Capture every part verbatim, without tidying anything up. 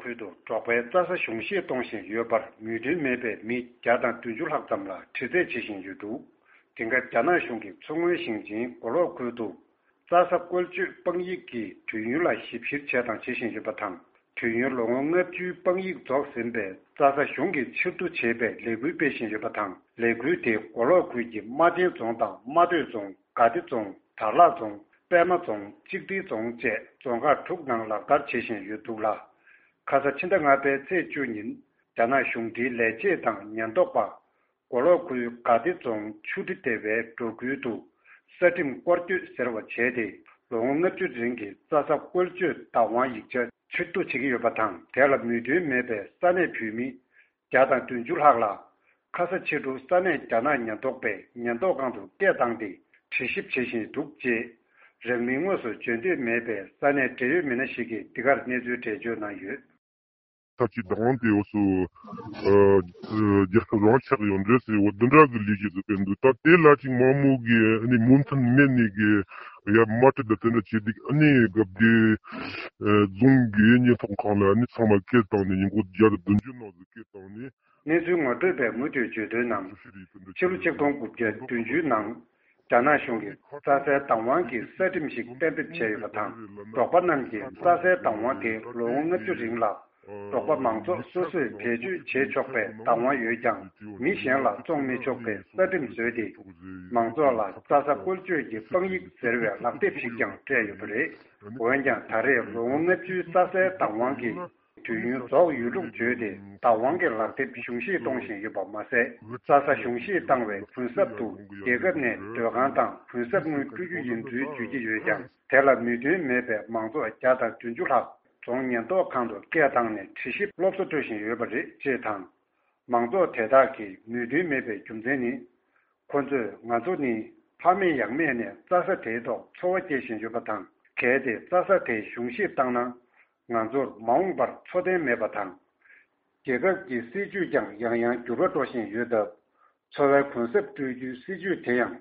ཁུལ་དུ་འབྲོག་པའི་རྩྭ་ས་གཞུང་བཞེས་གཏོང་བཞིན་ཡོད་པར་མོས་མཐུན་མེད་པའི་མི་བརྒྱ་དང་བདུན་ཅུ་ལྷག་ཙམ་ལ་དྲི་རྩད་བྱེད་བཞིན་ཡོད་འདུག་དེང་སྐབས་རྒྱ་ནག་གཞུང་གིས་མཚོ་སྔོན་ཞིང་ཆེན་མགོ་ལོག་ཁུལ་དུ་རྩྭ་ས་བཀོལ་སྤྱོད་དཔང་ཡིག་གི་དུས་ཡུན་ལ་ཞིབ་བཤེར་བྱས་དང་བྱེད་བཞིན་ཡོད་པ་དང་། དུས་ཡུན་ལོ་ངོ་ལྔ་བཅུའི་དཔང་ཡིག་རྫོགས་ཟིན་པའི་རྩྭ་ས་གཞུང་གིས་ཕྱིར་བསྡུ་བྱེད་པའི་ལས་འགུལ་སྤེལ་བཞིན་ཡོད་པ་དང་། ལས་འགུལ་དེ་མགོ་ལོག་ཁུལ་གྱི་རྨ་ཆེན་རྫོང་དང་རྨ་སྟོད་རྫོང་། དགའ་བདེ་རྫོང་། དར་ལག་རྫོང་། པད་མ་རྫོང་། གཅིག་སྒྲིལ་རྫོང་བཅས་རྫོང་ཁག་དྲུག་ནང་ལག་བསྟར་བྱེད་བཞིན་ཡོད་འདུག་ལ། ཁ་ས་ཕྱི་ཟླ་ལྔ་པའི་ཚེས་བཅུ་ཉིན་རྒྱ་ནག་གཞུང་འབྲེལ་ལས་བྱེད་དང་ཉེན་རྟོག་པ། མགོ་ལོག་ཁུལ་དགའ་བདེ་རྫོང་ཆུ་ཁྲི་སྡེ་བའི་འབྲོག་ཁུལ་དུ་ས་ཁྲིམས་སྐོར་སྐྱོད་ཟེར་བ་བྱས་ཏེ། ལོ་ངོ་ལྔ་བཅུ་རིང་གི་རྩྭ་ས་བཀོལ་སྤྱོད་བདག་དབང་ཡིག་ཆ་ཕྱིར་བསྡུ་བྱེད་ཀྱི་ཡོད་པ་དང་། དེ་ལ་མོས་མཐུན་མེད་པའི་ས་གནས་བོད་མི་བརྒྱ་དང་བདུན་ཅུ་ལྷག་ལ། ཁ་ས་ཕྱི་དྲོ་ས་གནས་རྒྱ་ནག་ཉེན་རྟོག་པས་ཉེན་རྟོག་ཁང་དུ་སྐད་བཏང་སྟེ་དྲི་ཞིབ་བྱེད་བཞིན་འདུག་ཅེས། རང་མིང་དངོས་སུ་བརྗོད་འདོད་མེད་པའི་ས་གནས་འབྲེལ་ཡོད་མི་སྣ་ཞིག་གིས་འདི་གར་གནས་ཚུལ་འགྲེལ་བརྗོད་གནང་ཡོད། ཐབས་ཀྱི་བདག་དབང་དེ་འོ་སུ་རྒྱལ་ཁབ་རང་ཆགས་ཡོད་འདྲ་ཟེར་བ་འདི་འདྲ་གི་ལས་གཞི་ཟིག་སྤེལ་འདུག་ད་དེ་ལ་ཅིག་མང་མོ་གི་ཨ་ནི་མོས་མཐུན་མེད་ནི་གི་ཡ་མ་ཏི་ད་དེ་འདྲ་བྱེད་འདུག་ཨ་ནི་སྐབས་དེ་རྫོང་གི་ཉེན་རྟོག་ཁང་ལ་ཨ་ནི་ཚང་མ་སྐད་བཏང་ནས་ཉིན་གུང་བརྒྱ་དང་བདུན་ཅུ་ནང་ཟིག་སྐད་བཏང་ནས། གནས་ཚུལ་ངོ་སྤྲོད་པས་མུ་མཐུད་བརྗོད་དོན་ནང་། ཕྱི་ལོ་ཆིག་སྟོང་དགུ་བརྒྱ་བདུན་ཅུ་ནང་རྒྱ་ནག་གཞུང་གིས་རྩྭ་སའི་བདག་དབང་གི་ས་ཁྲིམས་ཤིག་གཏན་འབེབས་བྱས་ཡོད་པ་དང་། འབྲོག་པ་རྣམས་ཀྱིས་རྩྭ་སའི་བདག་དབང་དེ་ལོ་ངོ་ལྔ་བཅུ་རིང་ལ་འབྲོག་པ་མང་ཚོགས་སོ་སོས་བེད་སྤྱོད་བྱེད་ཆོག་པའི་བདག་དབང་ཡོད་ཀྱང་། མི་གཞན་ལ་བཙོང་མི་ཆོག་པའི་ས་ཁྲིམས་བཟོས་ཏེ། མང་ཚོགས་ལ་རྩྭ་ས་བཀོལ་སྤྱོད་ཀྱི་དཔང་ཡིག་ཟེར་བའི་ལག་དེབ་ཞིག་ཀྱང་སྤྲད་ཡོད་པ་རེད། འོན་ཀྱང་ད་རེས་ལོ་ངོ་ལྔ་བཅུའི་རྩྭ་སའི་བདག་དབང་གི་དུས་ཡུན་རྫོགས་ཡོད་ལུགས་བརྗོད་དེ། བདག་དབང་གི་ལག་དེབ་གཞུང་བཞེས་གཏོང་བཞིན་ཡོད་པ་མ་ཟད། རྩྭ་ས་གཞུང་བཞེས་བཏང་བའི་གུན་གསབ་ཏུ་རྒྱལ་ཁབ་ནས་སྡོད་ཁང་དང་གུན་གསབ་དངུལ་སྤྲོད་རྒྱུ་ཡིན་ཚུལ་བརྗོད་ཀྱི་ཡོད་ཀྱང་། དེ་ལ་མོས་མཐུན་མེད་པའི་མང་ཚོགས་བརྒྱ་དང་བདུན་ཅུ་ལྷག་རྫོང་ཉེན་རྟོག་ཁང་དུ་སྐད་བཏང་ནས་དྲི་ཞིབ་སློབ་གསོ་སྤྲོད་བཞིན་ཡོད་པ་རེད་ཅེས་དང་། མང་ཚོགས་དེ་དག་གིས་མོས་མཐུན་མེད་པའི་རྒྱུ་མཚན་ནི། ཁོ་ཚོས་ང་ཚོ་ནི་ཕ་མེས་ཡང་མེས་ནས་རྩྭ་ས་དེའི་ཐོག་འཚོ་བ་སྐྱེལ་བཞིན་ཡོད་པ་དང་། གལ་ཏེ་རྩྭ་ས་དེ་གཞུང་བཞེས་བཏང་ན། ང་ཚོར་མ་འོངས་པར་འཚོ་རྟེན་མེད་པ་དང་། རྒྱལ་ཁབ་ཀྱི་སྲིད་ཇུས་ཀྱང་ཡང་ཡང་འགྱུར་བ་འགྲོ་བཞིན་ཡོད་སྟབས། འཚོ་བའི་གུན་གསབ་སྤྲོད་རྒྱུའི་སྲིད་ཇུས་དེ་ཡང་།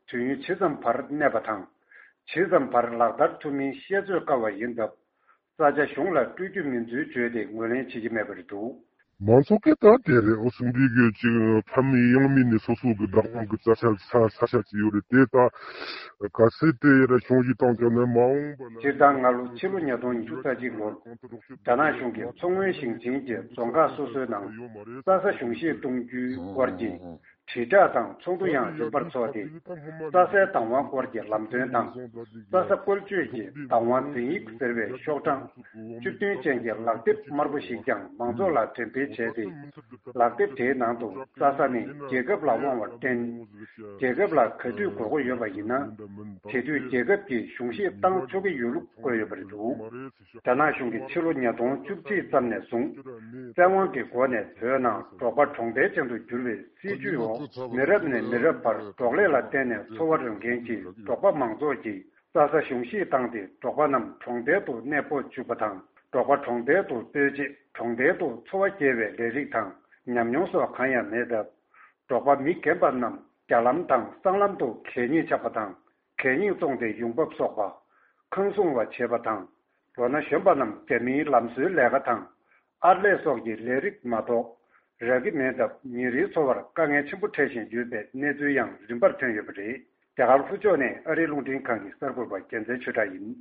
དུས་ཡུན་ཇི་ཙམ་བར་གནས་པ་དང་། ཇི་ཙམ་བར་ལག་བསྟར་ཐུབ་མིན་བཤད་ཚོད་དཀའ་བ་ཡིན་སྟབས། ས་ཆ་གཞུང་ལ་སྤྲོད་རྒྱུ་མིན་ཚུལ་བརྗོད་དེ་ངོས་ལེན་བྱེད་ཀྱི་མེད་པ་རེད་འདུག་མང་ཚོགས་ཀྱིས་ད་དེ་རེད། འོ་སུམ་འདི་གི་ཅིག་ཕ་མེས་ཡང་མེས་ནས་སོ་སོ་གི་བདག་དབང་གི་རྩྭ་ས་ས་ས་ཆ་ཅིག་ཡོད་རེད། དེ་ད་ག་ཚད་དེ་ར་གཞུང་བཞེས་བཏང་ཀྱང་ནི་མ་འོངས་པ་ན། སྤྱིར་བཏང་སྔ་ལོ་ཕྱི་ལོ་ཉིས་སྟོང་ཉི་ཤུ་རྩ་གཅིག་ལོར་རྒྱ་ནག་གཞུང་གིས་མཚོ་སྔོན་ཞིང་ཆེན་གྱི་རྫོང་ཁག་སོ་སོའི་ནང་རྩྭ་ས་གཞུང་བཞེས་གཏོང་རྒྱུའི་སྐོར་གྱི་དྲིལ་བསྒྲགས་དང་ཚོགས་འདུ་ཡང་རིམ་པར་འཚོགས་ཏེ། རྩྭ་སའི་བདག་དབང་སྐོར་གྱི་ལམ་སྟོན་དང་། རྩྭ་ས་བཀོལ་སྤྱོད་ཀྱི་བདག་དབང་འཛིན་ཡིག་ཟེར་བའི་ཤོག་གྲངས་བཅུ་བདུན་ཅན་གྱི་ལག་དེབ་དམར་པོ་ཞིག་ཀྱང་མང་ཚོགས་ལ་འགྲེམས་སྤེལ་བྱས་ཏེ། ལག་དེབ་དེའི་ནང་དུ་རྩྭ་ས་ནི་རྒྱལ་ཁབ་ལ་དབང་བར་བརྟེན། རྒྱལ་ཁབ་ལ་ག་དུས་དགོས་མཁོ་ཡོད་པ་ཡིན་ན། དེ་དུས་རྒྱལ་ཁབ་ཀྱིས་གཞུང་བཞེས་བཏང་ཆོག་གི་ཡོད་ལུགས་བཀོད་ཡོད་པ་རེད་འདུག་རྒྱ་ནག་གཞུང་གིས་ཕྱི་ལོ་ཉིས་སྟོང་བཅུ་གཅིག་ཙམ་ནས་བཟུང་། བཙན་དབང་གི་སྒོ་ནས་བོད་ནང་འབྲོག་པ་གྲོང་རྡལ་ཅན་དུ་བསྒྱུར་བའི་སྲིད་ཇུས་འོག་མི་རབས་ནས་མི་རབས་བར་འབྲོག་ལས་ལ་བརྟེན་ནས་འཚོ་བ་རོལ་མཁན་གྱི་འབྲོག་པ་མང་ཚོགས་ཀྱིས་རྩྭ་ས་གཞུང་བཞེས་བཏང་སྟེ། འབྲོག་པ་རྣམས་གྲོང་རྡལ་དུ་གནས་སྤོ་བཅུག་པ་དང་། འབྲོག་པ་གྲོང་རྡལ་དུ་སྤོས་རྗེས་གྲོང་རྡལ་དུ་འཚོ་བ་སྐྱེལ་བའི་ལས་རིགས་དང་ཉམས་མྱོང་སོགས་གང་ཡང་མེད་སྟབས། འབྲོག་པ་མི་རྒན་པ་རྣམས་རྒྱ་ལམ་དང་སྲང་ལམ་དུ་གད་སྙིགས་ཆག་པ་དང་། གད་སྙིགས་བཙོངས་ཏེ་ཡོང་འབབ་གསོག་པ། ཁང་སྲུང་བ་བྱེད་པ་དང་། ལོ་ན་གཞོན་པ་རྣམས་རྒྱ་མིའི་ལམ་བཟོའི་ལས་ཀ་དང་། ཨར་ལས་སོགས་ཀྱི་ལས་རིགས་མ་གཏོགས་རག་གི་མེད་སྟབས། ཉིན་རེའི་འཚོ་བར་དཀའ་ངལ་ཆེན་པོ་འཕྲད་བཞིན་ཡོད་པའི་གནས་ཚུལ་ཡང་རིམ་པར་ཐོན་ཡོད་པ་རེད། རྒྱ་གར་ལྷོ་ཕྱོགས་ནས་ཨ་རིའི་རླུང་འཕྲིན་ཁང་གི་གསར་འགོད་པ་རྒྱལ་མཚན་ཆོས་གྲགས་ཡིན།